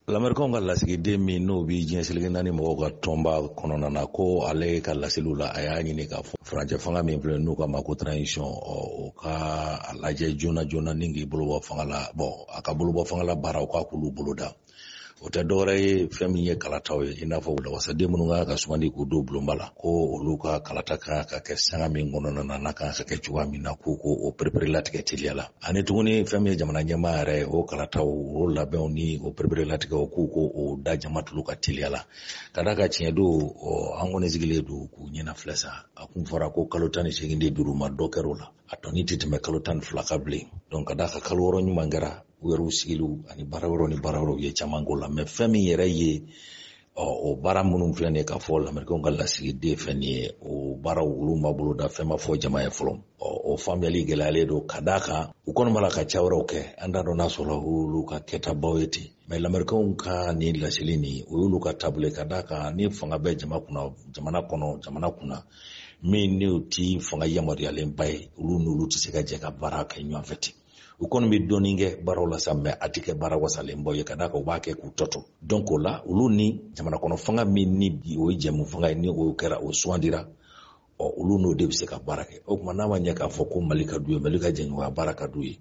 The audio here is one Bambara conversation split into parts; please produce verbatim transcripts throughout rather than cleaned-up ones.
Lamerikɛnw ka lasigiden min n'o bi diɲɛ seleke naani mɔgɔw ka tɔnba kɔnɔna na, ko ale ka laseliw la, a y'a ɲini k'a fɔ furancɛ fanga min filɛ n'u k'a ma ko transition, ɔ o ka a lajɛ joona joona ni k'i bolo bɔ fanga la. Bɔn, a ka bolo bɔ fanga la baara, o k'a k'olu bolo da. O tɛ dɔwɛrɛ ye, fɛn min ye kalataw ye, i n'a fɔ wasaden minnu kan ka sugandi k'u don bulonba la, ko olu ka kalata kan ka kɛ sanga min kɔnɔna na, n'a kan ka kɛ cogoya min na, k'u ko o perepere latigɛ teliya la. Ani tuguni, fɛn min ye jamana ɲɛmaa yɛrɛ ye, o kalataw, o labɛnw ni o perepere latigɛw, k'u ko o da jama tulu ka teliya la. Ka d'a kan, tiɲɛ don, an kɔni sigilen don k'u ɲɛna filɛ sa. A kun fɔra ko kalo tan ni seegin de duuru ma, dɔ kɛra o la, a tɔni tɛ tɛmɛ kalo tan ni fila kan bilen. Donc, ka d'a kan kalo wɔɔrɔ ɲuman kɛra, u yɛrɛw sigiliw ani baara wɛrɛw ni baara wɛrɛw ye caman k'o la. Mɛ fɛn min yɛrɛ ye, ɔ o baara minnu filɛ nin ye k'a fɔ lamerikɛnw ka lasigiden fɛn nin ye, o baaraw olu ma bolo da, fɛn ma fɔ jama ye fɔlɔ. Ɔ o faamuyali gɛlɛyalen don, ka d'a kan u kɔni b'a la ka ca wɛrɛw kɛ. An t'a dɔn n'a sɔrɔ olu ka kɛtabaw ye ten. Mɛ lamerikɛnw ka nin laseli nin, o y'olu ka taabolo ye, ka d'a kan ni fanga bɛ jama kunna, jamana kɔnɔ, jamana kunna min n'o ti fanga yamaruyalenba ye, olu n'olu tɛ se ka jɛ ka baara kɛ ɲɔgɔn fɛ ten. U kɔni bɛ dɔɔnin kɛ baaraw la sa, mɛ a tɛ kɛ baara wasalenbaw ye, ka d'a kan u b'a kɛ k'u tɔ to. Donc o la, olu ni jamana kɔnɔ fanga min ni bi o ye jɛmu fanga ye, ni o kɛra o sugandira, ɔ olu n'o de bɛ se ka baara kɛ. O tuma, n'a ma ɲɛ k'a fɔ ko Mali ka d'u ye, Mali ka jɛɲɔgɔnya baara ka d'u ye,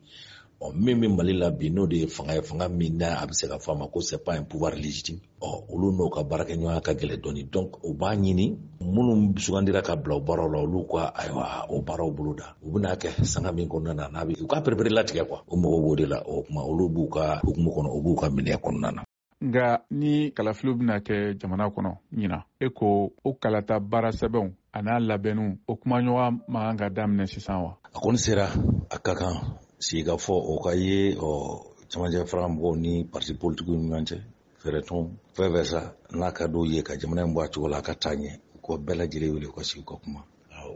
ɔ min bɛ Mali la bi, n'o de ye fanga ye, fanga min n'a a bɛ se ka fɔ a ma ko c'est pas un pouvoir légitime, ɔ olu n'o ka baarakɛɲɔgɔnya ka gɛlɛn dɔɔni. Donc u b'a ɲini minnu sugandira ka bila o baaraw la, olu ka ayiwa o baaraw bolo da. U bɛna kɛ sanga min kɔnɔna na, n'a bɛ u ka perepere latigɛ quoi, o mɔgɔw b'o de la. O tuma, olu b'u ka hukumu kɔnɔ, u b'u ka minɛ kɔnɔna na. Nka ni kalafiliw bɛna kɛ jamana kɔnɔ ɲina, e ko o kalata baara sɛbɛnw a n'a labɛnniw, o kumaɲɔgɔn man kan ka daminɛ sisan wa? A kɔni sera, a ka kan sigikafɔ o ka ye ɔ camancɛ fara mɔgɔw ni parti politikiw ni ɲɔgɔn cɛ, fɛɛrɛtɔn fɛn fɛn sa n'a ka d'u ye ka jamana in bɔ a cogo la, a ka taa ɲɛ, u ka bɛɛ lajɛlen wele u ka sigi u ka kuma.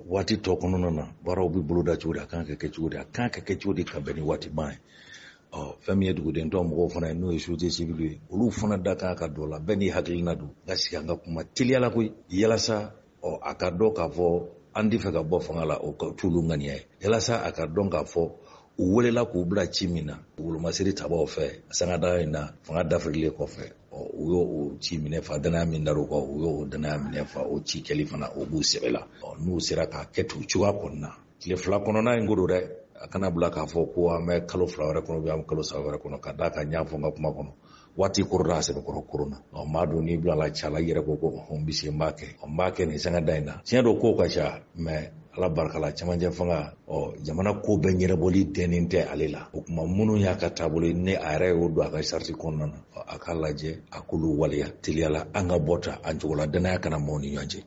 Waati tɔ kɔnɔna na, baaraw bɛ boloda cogo di, a kan ka kɛ cogo di, a kan ka kɛ cogo di ka bɛn ni waati ban ye. Ɔ fɛn min ye duguden tɔ mɔgɔw fana ye, n'o ye société civile ye, olu fana da kan ka don la. Bɛɛ n'i hakilina don, ka sigi an ka kuma teliyala koyi, yalasa ɔ a ka dɔn k'a fɔ an tɛ fɛ ka bɔ fanga la, o t'olu ŋaniya ye, yalasa a ka dɔn k'a fɔ u welela k'u bila ci min na wolomasiri tabaw fɛ sangada in na, fanga dafirilen kɔfɛ, ɔ u y'o o ci minɛ fa, danaya min dar'u kan, u y'o danaya minɛ fa. O ci kɛli fana, o b'u sɛbɛ la. Ɔ n'u sera k'a kɛ ten o cogoya kɔni na, tile fila kɔnɔna in ko don dɛ, a kana bila k'a fɔ ko an bɛ kalo fila wɛrɛ kɔnɔ, an bɛ kalo saba wɛrɛ kɔnɔ. Ka d'a kan, n y'a fɔ n ka kuma kɔnɔ, waati korona a sɛbɛkɔrɔ korona. Ɔ maa dun n'i bilala ca la, i yɛrɛ ko ko n bɛ se, n b'a kɛ, n b'a kɛ nin sangada in na. Tiɲɛ don, kow ka ca, mɛ Ala barika la, camancɛ fanga, ɔ jamana ko bɛɛ ɲɛnabɔli dɛnnen tɛ ale la. O tuma, minnu y'a ka taabolo ye, ni a yɛrɛ y'o don a ka sariti kɔnɔna na, a k'a lajɛ a k'olu waleya teliya la, an ka bɔ ta an cogo la, danaya kana maaw ni ɲɔgɔn cɛ.